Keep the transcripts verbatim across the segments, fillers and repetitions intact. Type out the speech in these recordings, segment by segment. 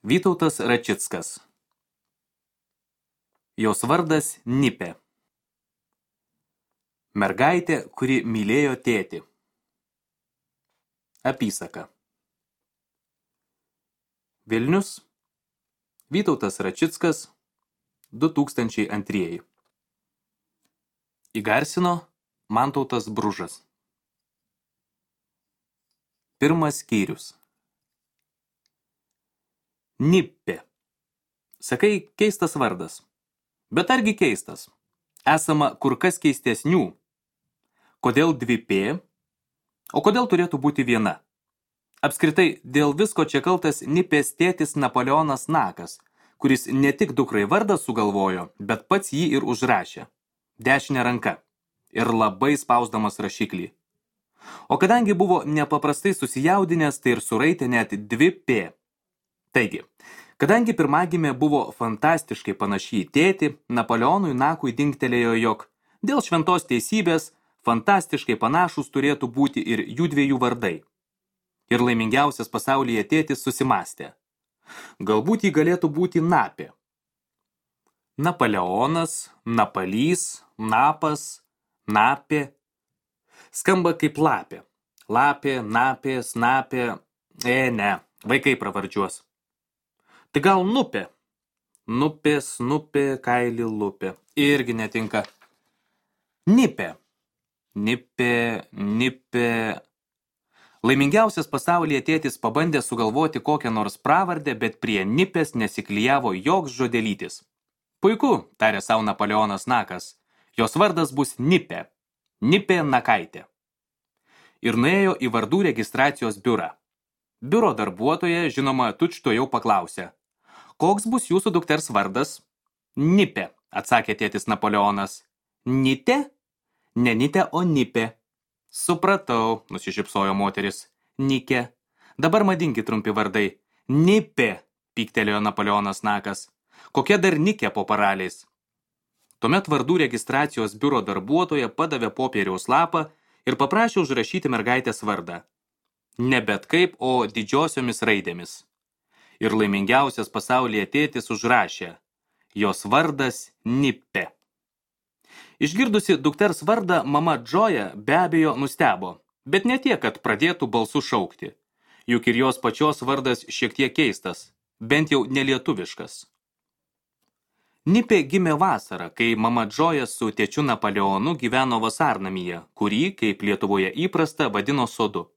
Vytautas Račickas. Jos vardas Nipė. Mergaitė, kuri mylėjo tėtį. Apysaka. Vilnius. Vytautas Račickas. du tūkstančiai antrieji. Įgarsino Mantautas Bružas. Pirmas skyrius. Nipė. Sakai, keistas vardas. Bet argi keistas? Esama kur kas keistesnių. Kodėl dvi P? O kodėl turėtų būti viena? Apskritai, dėl visko čia kaltas Nipės tėtis Napoleonas Nakas, kuris ne tik dukrai vardą sugalvojo, bet pats jį ir užrašė. Dešinė ranka. Ir labai spausdamas rašiklį. O kadangi buvo nepaprastai susijaudinęs, tai ir suraitė net dvi P. Taigi, kadangi pirmagimė buvo fantastiškai panaši į tėtį, Napoleonui Nakui dingtelėjo, jog dėl šventos teisybės fantastiškai panašus turėtų būti ir jų dviejų vardai. Ir laimingiausias pasaulyje tėtis susimastė. Galbūt jį galėtų būti Napė. Napoleonas, Napalys, Napas, Napė. Skamba kaip lapė. Lapė, napė, snapė. E, ne, vaikai pravardžiuos. Tai gal Nupė? Nupė, snupė, kailį lupė. Irgi netinka. Nipė. Nipė, nipė. Laimingiausias pasaulyje tėtis pabandė sugalvoti kokią nors pravardę, bet prie Nipės nesiklijavo joks žodelytis. Puiku, tarė sau Napoleonas Nakas. Jos vardas bus Nipė. Nipė Nakaitė. Ir nuėjo į vardų registracijos biurą. Biuro darbuotoja, žinoma, tučto jau paklausė. Koks bus jūsų dukters vardas? Nipė, atsakė tėtis Napoleonas. Nitė? Ne Nitė, o Nipė. Supratau, nusišypsojo moteris. Nikė. Dabar madingi trumpi vardai. Nipė, pyktelėjo Napoleonas Nakas. Kokia dar Nikė po paraliais? Tuomet vardų registracijos biuro darbuotoja padavė popieriaus lapą ir paprašė užrašyti mergaitės vardą. Ne bet kaip, o didžiosiomis raidėmis. Ir laimingiausias pasaulyje tėtis užrašė. Jos vardas Nipė. Išgirdusi dukters vardą, mama Džoja be abejo nustebo, bet ne tiek, kad pradėtų balsu šaukti. Juk ir jos pačios vardas šiek tiek keistas, bent jau nelietuviškas. Nipė gimė vasarą, kai mama Džoja su tėčiu Napoleonu gyveno vasarnamyje, kurį, kaip Lietuvoje įprasta, vadino sodu.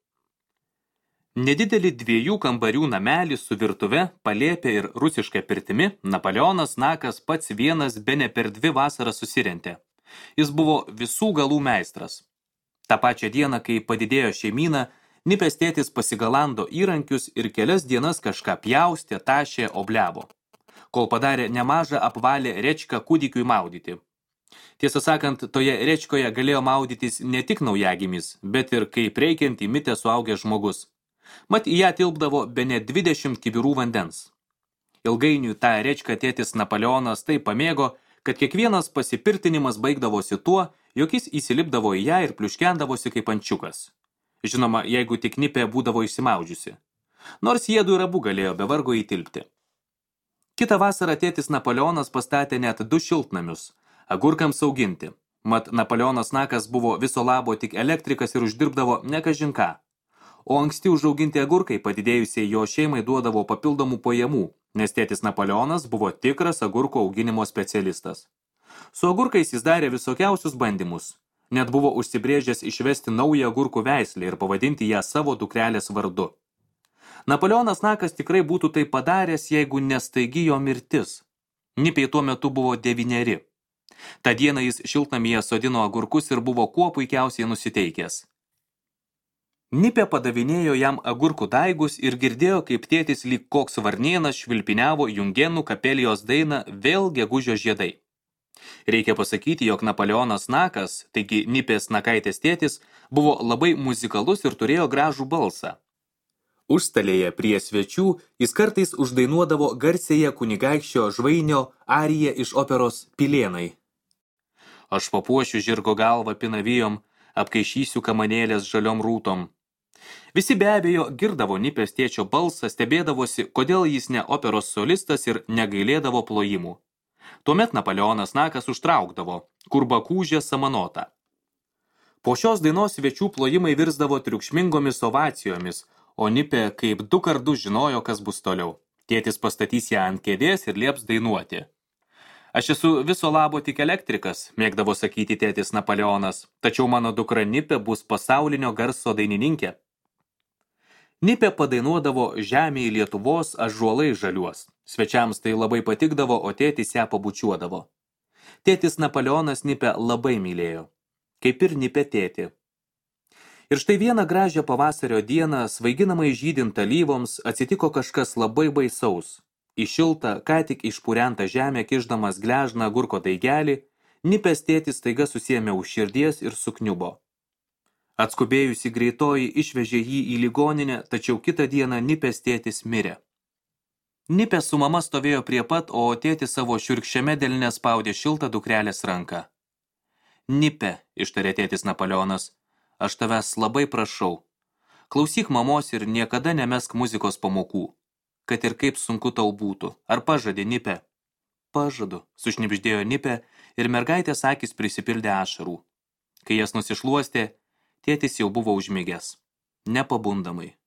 Nedidelį dviejų kambarių namelį su virtuve, palėpė ir rusiška pirtimi, Napoleonas Nakas pats vienas bene per dvi vasaras susirentė. Jis buvo visų galų meistras. Ta pačią dieną, kai padidėjo šeimyna, Nipės tėtis pasigalando įrankius ir kelias dienas kažką pjaustė, tašė, obliavo. Kol padarė nemažą apvalę rečką kūdikiui maudyti. Tiesą sakant, toje rečkoje galėjo maudytis ne tik naujagimis, bet ir kaip reikiant įmitė suaugęs žmogus. Mat į ją tilpdavo bene dvidešimt kibirų vandens. Ilgainiui tą rečką tėtis Napoleonas taip pamėgo, kad kiekvienas pasipirtinimas baigdavosi tuo, jog jis įsilipdavo į ją ir pliuškendavosi kaip ančiukas. Žinoma, jeigu tik Nipė būdavo išsimaudžiusi. Nors jiedu ir abu galėjo be vargo įtilpti. Kitą vasarą tėtis Napoleonas pastatė net du šiltnamius, agurkams auginti. Mat Napoleonas Nakas buvo viso labo tik elektrikas ir uždirbdavo ne kažin ką. O anksti užauginti agurkai padidėjusiai jo šeimai duodavo papildomų pajamų, nes tėtis Napoleonas buvo tikras agurko auginimo specialistas. Su agurkais jis darė visokiausius bandymus. Net buvo užsibrėžęs išvesti naują agurkų veislę ir pavadinti ją savo dukrelės vardu. Napoleonas Nakas tikrai būtų tai padaręs, jeigu nestaigi jo mirtis. Nipei tuo metu buvo devyneri. Ta dieną jis šiltnamyje sodino agurkus ir buvo kuo puikiausiai nusiteikęs. Nipė padavinėjo jam agurkų daigus ir girdėjo, kaip tėtis lyg koks varnėnas švilpiniavo Jungenų kapelijos dainą Vėl gegužio žiedai. Reikia pasakyti, jog Napoleonas Nakas, taigi Nipės Nakaitės tėtis, buvo labai muzikalus ir turėjo gražų balsą. Užstalėje prie svečių jis kartais uždainuodavo garsėje kunigaikščio Žvainio ariją iš operos Pilėnai. Aš papuošiu žirgo galvą pinavijom, apkaišysiu kamanėlės žaliom rūtom. Visi be abejo girdavo Nipės tėčio balsą, stebėdavosi, kodėl jis ne operos solistas ir negailėdavo plojimų. Tuomet Napoleonas Nakas užtraukdavo, kur bakūžė samanota. Po šios dainos svečių plojimai virsdavo triukšmingomis ovacijomis, o Nipė kaip du kartus žinojo, kas bus toliau. Tėtis pastatys ją ant kėdės ir lieps dainuoti. Aš esu viso labo tik elektrikas, mėgdavo sakyti tėtis Napoleonas, tačiau mano dukra Nipė bus pasaulinio garso dainininkė. Nipė padainuodavo žemėje Lietuvos ąžuolai žaliuos. Svečiams tai labai patikdavo, o tėtis ją pabučiuodavo. Tėtis Napoleonas Nipę labai mylėjo, kaip ir Nipė tėtį. Ir štai vieną gražią pavasario dieną, svaiginamai žydint alyvoms, atsitiko kažkas labai baisaus. Į šiltą, ką tik išpurentą žemę kišdamas gležną agurko daigelį, Nipės tėtis staiga susiėmė už širdies ir sukniubo. Atskubėjusi greitoji išvežė jį į ligoninę, tačiau kitą dieną Nipės tėtis mirė. Nipė su mama stovėjo prie pat, o tėtis savo šiurkščiame delne spaudė šiltą dukrelės ranką. Nipė, ištarė tėtis Napoleonas, aš tavęs labai prašau. Klausyk mamos ir niekada nemesk muzikos pamokų, kad ir kaip sunku tau būtų. Ar pažadė, Nipė? Pažadu, sušnibždėjo Nipė ir mergaitės akys prisipildė ašarų. Kai jas nusišluostė, tėtis jau buvo užmigęs, nepabundamai.